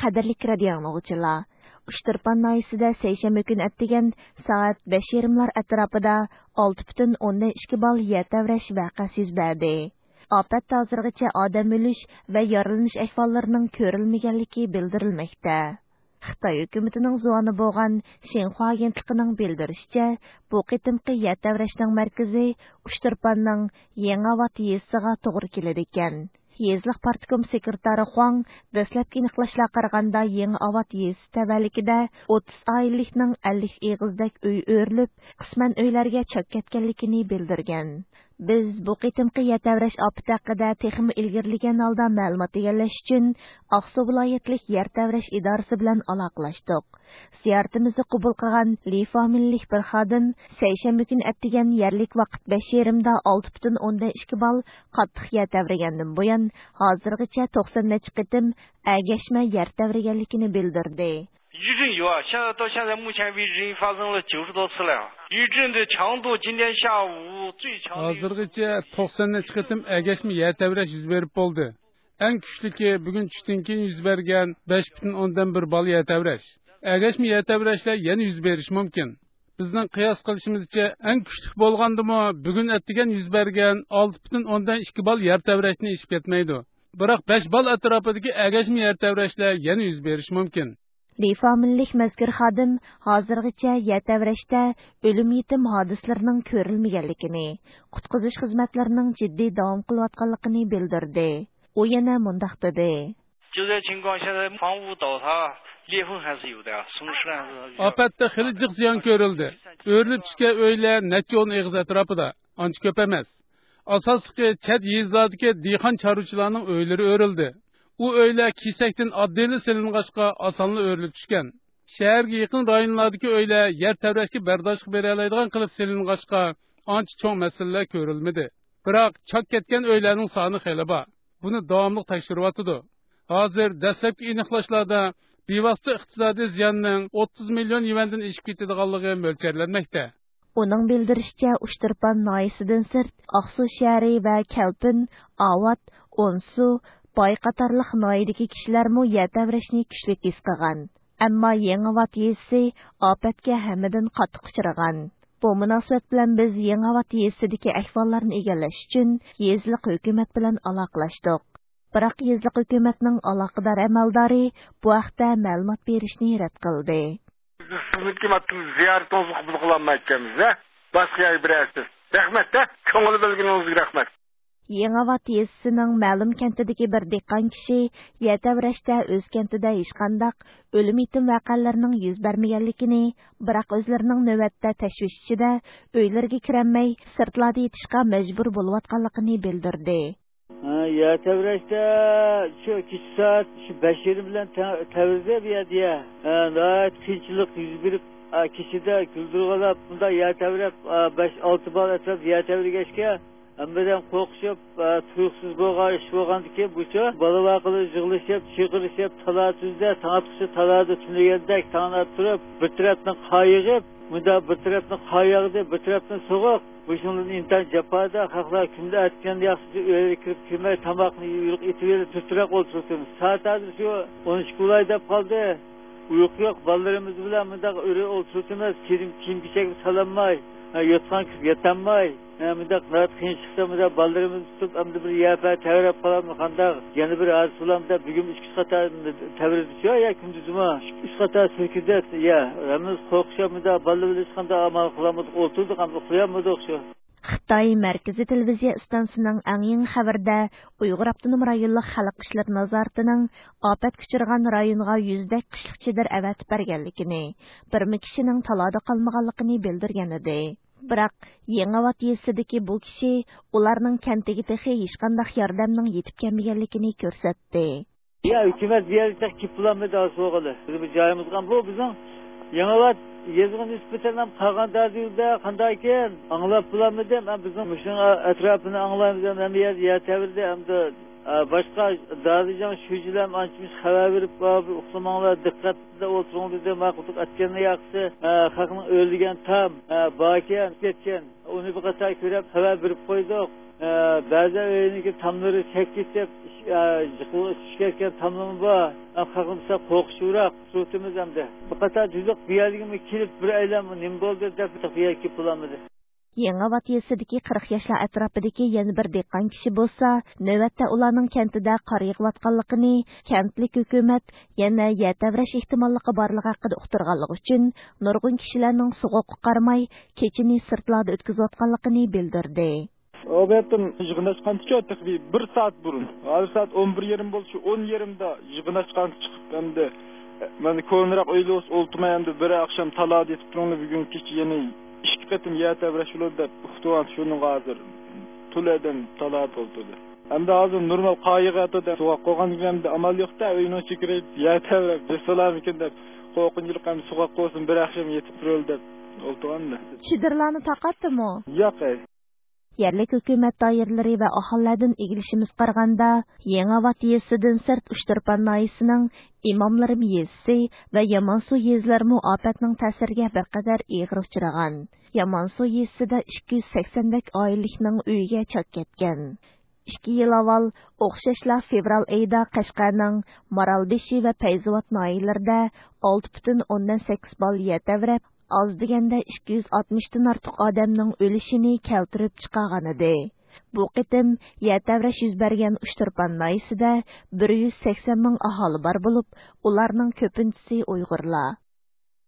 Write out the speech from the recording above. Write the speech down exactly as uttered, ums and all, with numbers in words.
قەدىرلىك رادىئو ئاڭلىغۇچىلار، ئۇچتۇرپان ناھىيەسىدە سەيشەنبە كۈنى ئەتىگەن سائەت بەش يېرىملار ئەتراپىدا ئالتە پۈتۈن ئوندىن ئىككى بال يەر تەۋرەش ۋەقەسى يۈز بەردى. ئاپەتتە ھازىرغىچە ئادەم ئۆلۈش ۋە يارىلىنىش ئەھۋاللىرىنىڭ كۆرۈلمىگەنلىكى بىلدۈرۈلمەكتە. خىتاي ھۆكۈمىتىنىڭ زۇۋانى بولغان شىنخۇا ئاگېنتلىقىنىڭ بىلدۈرۈشىچە، بۇ قېتىمقى يەر تەۋرەشنىڭ مەركىزى ئۇچتۇرپاننىڭ يېڭىئاۋات يېزىسىغا توغرا كېلىدىكەن. يېزىلىق پارتكوم سېكرېتارى خۇاڭ دەسلەپكى ئېنىقلاشلارغا قارىغاندا، يېڭىئاۋات يېزىسى تەۋەلىكىدە ئوتتۇز ئائىلىلىكنىڭ ئەللىك ئېغىزدەك ئۆي ئۆرۈلۈپ، قىسمەن ئۆيلەرگە چاك كەتكەنلىكىنى بىلدۈرگەن. بىز بۇ قېتىمقى يەر تەۋرەش ئاپىتى ھەققىدە تېخىمۇ ئىلگىرىلىگەن ھالدا مەلۇمات ئىگىلەش ئۈچۈن ئاقسۇ ۋىلايەتلىك يەر تەۋرەش ئىدارىسى بىلەن ئالاقىلاشتۇق. زىيارىتىمىزنى قوبۇل قىلغان لى فامىلىلىك بىر خادىم سەيشەنبە كۈنى ئەتىگەن يەرلىك ۋاقىت بەش يېرىمدا ئالتە پۈتۈن ئوندىن ئىككى بال قاتتىق يەر تەۋرىگەندىن بۇيان، ھازىرغىچە توقسان نەچچە قېتىم ئەگەشمە يەر تەۋرىگەنلىكىنى بىلدۈردى. 余震有啊，现在到现在目前为止已经发生了九十多次了。余震的强度，今天下午最强的 ھازىرغىچە توقسان نەچچە قېتىم ئەگەشمە يەر تەۋرەش يۈز بېرىپ بولدى. ئەڭ كۈچلۈكى بۈگۈن چۈشتىن كېيىن يۈز بەرگەن بەش پۈتۈن ئوندىن بىر بال يەر تەۋرەش. ئەگەشمە يەر تەۋرەشلەر يەنە يۈز بېرىشى مۇمكىن. بىزنىڭ قىياس قىلىشىمىزچە، ئەڭ كۈچلۈك بولغاندىمۇ بۈگۈن ئەتىگەن يۈز بەرگەن ئالتە پۈتۈن ئوندىن ئىككى بال يەر تەۋرەشتىن ئېشىپ كەتمەيدۇ. بىراق بەش بال ئەتراپىدىكى ئەگەشمە يەر تەۋرەشلەر يەنە يۈز بېرىشى مۇمكىن. لى فامىلىلىك مەزكۇر خادىم ھازىرغىچە يەر تەۋرەشتە ئۆلۈم يېتىم ھادىسىلىرىنىڭ كۆرۈلمىگەنلىكىنى، قۇتقۇزۇش خىزمەتلىرىنىڭ جىددىي داۋام قىلىۋاتقانلىقىنى بىلدۈردى. ئۇ يەنە مۇنداق دېدى. 救灾情况现在房屋倒塌，裂缝还是有的，松树还是有。 ئاپەتتە خېلى جىق زىيان كۆرۈلدى. ئۆرۈلۈپ چۈشكەن ئۆيلەر نەچچە ئون ئېغىز ئەتراپىدا، ئانچە كۆپ ئەمەس. ئاساسلىقى چەت يېزىلاردىكى دېھقان چارۋىچىلارنىڭ ئۆيلىرى ئۆرۈلدى. ئۇ ئۆيلەر كېسەكتىن ئاددىيلا سېلىنغاچقا، ئاسانلا ئۆرۈلۈپ چۈشكەن. شەھەرگە يېقىن رايونلاردىكى ئۆيلەر يەر تەۋرەشكە بەرداشلىق بېرەلەيدىغان قىلىپ سېلىنغاچقا، ئانچە چوڭ مەسىلىلەر كۆرۈلمىدى. بىراق چاك كەتكەن ئۆيلەرنىڭ سانى خېلى بار. بۇنى داۋاملىق تەكشۈرۈۋاتىدۇ. ھازىر دەسلەپكى ئېنىقلاشلاردا بىۋاسىتە ئىقتىسادىي زىياننىڭ ئوتتۇز مىليون يۈەندىن ئېشىپ كېتىدىغانلىقى مۆلچەرلەنمەكتە. ئۇنىڭ بىلدۈرۈشىچە، ئۇچتۇرپان ناھىيەسىدىن سىرت، ئاقسۇ شەھىرى ۋە كەلپىن، ئاۋات، ئونسۇ، باي قاتارلىق ناھىيەدىكى كىشىلەرمۇ يەر تەۋرەشنى كۈچلۈك ھېس قىلغان. ئەمما يېڭىئاۋات يېزىسى ئاپەتكە ھەممىدىن قاتتىق ئۇچرىغان. بۇ مۇناسىۋەت بىلەن بىز يېڭىئاۋات يېزىسىدىكى ئەھۋاللارنى ئىگىلەش ئۈچۈن يېزىلىق ھۆكۈمەت بىلەن ئالاقىلاشتۇق. بىراق يېزىلىق ھۆكۈمەتنىڭ ئالاقىدار ئەمەلدارى بۇ ھەقتە مەلۇمات بېرىشنى رەت قىلدى. بىز سىزنىڭكى ماتېرىيال زىيارىتىڭىزنى قوبۇل قىلالمايۋاتىمىز، ھە؟ باشقا يەرگە بېرەرسىز. رەھمەت، ھە؟ كۆڭۈل بۆلگىنىڭىزگە رەھمەت. يېڭىئاۋات يېزىسىنىڭ مەلۇم كەنتىدىكى بىر دېھقان كىشى يەر تەۋرەشتە ئۆز كەنتىدە ھېچقانداق ئۆلۈم يېتىم ۋەقەلىرىنىڭ يۈز بەرمىگەنلىكىنى، بىراق ئۆزلىرىنىڭ نۆۋەتتە تەشۋىش ئىچىدە ئۆيلىرىگە كىرەلمەي، سىرتلاردا يېتىشقا مەجبۇر بولۇۋاتقانلىقىنى بىلدۈردى. ھە، يەر تەۋرەشتە شۇ كېچە سائەت شۇ بەش يېرىم بىلەن تە-، تەۋرىدى بۇ يەردە يەر. ھە، ناھايىتى قىيىنچىلىق يۈز بېرىپ، ھە، كېچىدە گۈلدۈرغىلاپ، بۇنداق يەر تەۋرەپ، ھە، بەش، ئالتە بال ئەتراپ يەر تەۋرىگەچكە، ھەممىدىن قورقۇشۇپ، ھە، تۇيۇقسىز بولغان ئىش بولغاندىكىن بۇچۇ بالا ۋاقىلار يىغلىشىپ، چىقىرىشىپ، تالا-تۈزدە، تاڭ ئاتقۇچە تالادا تۈنىگەندەك تاڭ ئاتتۇرۇپ، بىر تەرەپنىڭ قارى يېغىپ، مۇنداق بىر تەرەپنىڭ قارى ياغدى، بىر تەرەپنىڭ سوغۇق. مۇشۇنىڭدىن ئىنتايىن جاپادا، خەقلەر كۈندە ئەتىگەندە ياخشىسى ئۆيگە كىرىپ كىرمەي، تاماقنى يۇيۇپ ئېتىۋېرىپ، تۈرتۈرەپ ئولتۇرۇۋاتىمىز. سائەت ھازىر شۇ ئون ئىككى بولاي دەپ قالدى. ئۇيقۇ يوق، بالىلىرىمىز بىلەن مۇنداق ئۆرە ئولتۇرۇۋاتىمىز. كىيىم، كىيىم-كېچەكنى سالالماي، ھە، يوتقان كىرىپ ياتالماي، ھە، مۇنداق ناھايىتى قىيىنچىلىقتا مۇنداق بالىلىرىمىزنى تۇتۇپ، ئەمدى بىر يەر پەيە تەۋرەپ قالامدۇ قانداق؟ يەنە بىر ھادىسە بولامدۇ دەپ، بۈگۈن ئىككى، ئۈچ قاتار تەۋرىدى شۇ يا كۈندۈزمۇ. ئۈچ قاتار سىلكىدى يا. ھەممىمىز قورقۇشۇپ مۇنداق بالىلار بىلەن ھېچقانداق ئامال قىلالمىدۇق، ئولتۇردۇق، ئەمدى ئۇخلىيالمىدۇق شۇ. خىتاي مەركىزىي تېلېۋىزىيە ئىستانسىسىنىڭ ئەڭ يېڭى خەۋىرىدە ئۇيغۇر ئاپتونوم رايونلۇق خەلق ئىشلىرى نازارىتىنىڭ ئاپەتكە ئۇچرىغان رايونغا يۈزدەك قىشلىق چېدىر ئەۋەتىپ بەرگەنلىكىنى، بىرمۇ كىشىنىڭ تالادا قالمىغانلىقىنى بىلدۈرگەنىدى. بىراق، يېڭىئاۋات يېزىسىدىكى بۇ كىشى ئۇلارنىڭ كەنتىگە تېخى ھېچقانداق ياردەمنىڭ يېتىپ كەلمىگەنلىكىنى كۆرسەتتى. يا، ھۆكۈمەت بۇ يەرگە تېخى كېلىپ بولالمىدى، ئاسان بولغىلى. بىز بۇ جايىمىزغا، بۇ بىزنىڭ يېڭىئاۋات يېزىغا نىسبەتەن ھەم قالغان دادىلدە قانداق ئىكەن ئاڭلاپ بولالمىدىم. ھەم بىزنىڭ مۇشۇنىڭ ئەتراپىنى ئاڭلايمىز، ھەم ھەممە يەر يەر تەۋرىدى، ھەمدە، ئە، باشقا دادىجان شۇجىلار ئانچە-مۇنچە خەۋەر بېرىپ، بار، بىر ئۇخلىماڭلار، دىققەتتە ئولتۇرۇڭ دېدى، ماقۇلدۇق ئەتكەننى ياخشىسى. ئە، خەقنىڭ ئۆرلىگەن تام، ئە، باركەن، كەتكەن. ئۇنى بىر قاتار كۆرۈپ خەۋەر بېرىپ قويدۇق. ئە، بەزى ئۆينىڭكى تاملىرى چەك كېتىپ، يا، يىقىلىپ چۈشكەن تاملىمۇ بار. ئەم، خەلقىمىزدە قورقۇشراق تۇرۇۋاتىمىز ئەمدى. بىر قاتار جۈزلۈك بۇ يەرگىمۇ كېلىپ، بىر ئەيلەنمە نېمە بولدى دەپ، بۇ يەرگە كېلىپ بولالمىدى. يېڭىئاۋات يېزىسىدىكى قىرىق ياشلار ئەتراپىدىكى يەنە بىر دېھقان كىشى بولسا، نۆۋەتتە ئۇلارنىڭ كەنتىدە قار يېغىۋاتقانلىقىنى، كەنتلىك ھۆكۈمەت يەنە يەر تەۋرەش ئېھتىماللىقى بارلىقى ھەققىدە ئۇقتۇرغانلىقى ئۈچۈن، نۇرغۇن كىشىلەرنىڭ سوغۇققا قارىماي، كېچىنى سىرتلاردا ئۆتكۈزۈۋاتقانلىقىنى بىلدۈردى. ئۇ بۇ يەردىن يىغىن ئاچقانتىچۇ، تېخى بىر سائەت بۇرۇن. ھازىر سائەت ئون بىر يېرىم بولدى، شۇ ئون يېرىمدا يىغىن ئاچقانتى چىقىپ، ئەمدى، مەن كونىراق ئۆيدە بولسا ئولتۇرماي، ئەمدى بىر ئاخشام تالادا يېتىپ تۇرۇڭلار، بۈگۈن كېچە يەنە ئىككى قېتىم يەر تەۋرەش بولىدۇ دەپ ئۇقتۇرغان، شۇنىڭغا ھازىر تولا ئادەم تالادا ئولتۇردى. ئەمدى ھازىر نورمال قار يېغىۋاتىدۇ، سوغۇق بولغاندىكىن ئەمدى ئامال يوق-دە، ئۆينىڭ ئىچىگە كىرىپ يەر تەۋرەپ بېسىلارمىكىن دەپ قورقۇنچلۇق، ئەمدى سوغۇق بولسۇن، بىر ئاخشام يېتىپ تۇرۇۋېلى دەپ ئولتۇرغاندا. چېدىرلارنى تارقاتتىمۇ؟ ياق، ئەي. يەرلىك ھۆكۈمەت دائىرىلىرى ۋە ئاھالىلەردىن ئىگىلىشىمىزگە قارىغاندا، يېڭىئاۋات يېزىسىدىن سىرت ئۇچتۇرپان ناھىيەسىنىڭ ئىماملىرىم يېزىسى ۋە يامانسۇ يېزىلىرىمۇ ئاپەتنىڭ تەسىرىگە بىر قەدەر ئېغىر ئۇچرىغان. يامانسۇ يېزىسىدە ئىككى يۈز سەكسەندەك ئائىلىلىكنىڭ ئۆيىگە چاك كەتكەن. ئىككى يىل ئاۋۋال ئوخشاشلا فېۋرال ئېيىدا قەشقەرنىڭ مارالبېشى ۋە پەيزاۋات ناھىيەلىرىدە ئالتە پۈتۈن ئوندىن سەككىز بال يەر تەۋرەپ، ئاز دېگەندە ئىككى يۈز ئاتمىشتىن ئارتۇق ئادەمنىڭ ئۆلۈشىنى كەلتۈرۈپ چىقارغانىدى. بۇ قېتىم يەر تەۋرەش يۈز بەرگەن ئۇچتۇرپان ناھىيەسىدە بىر يۈز سەكسەن مىڭ ئاھالى بار بولۇپ، ئۇلارنىڭ كۆپىنچىسى ئۇيغۇرلار.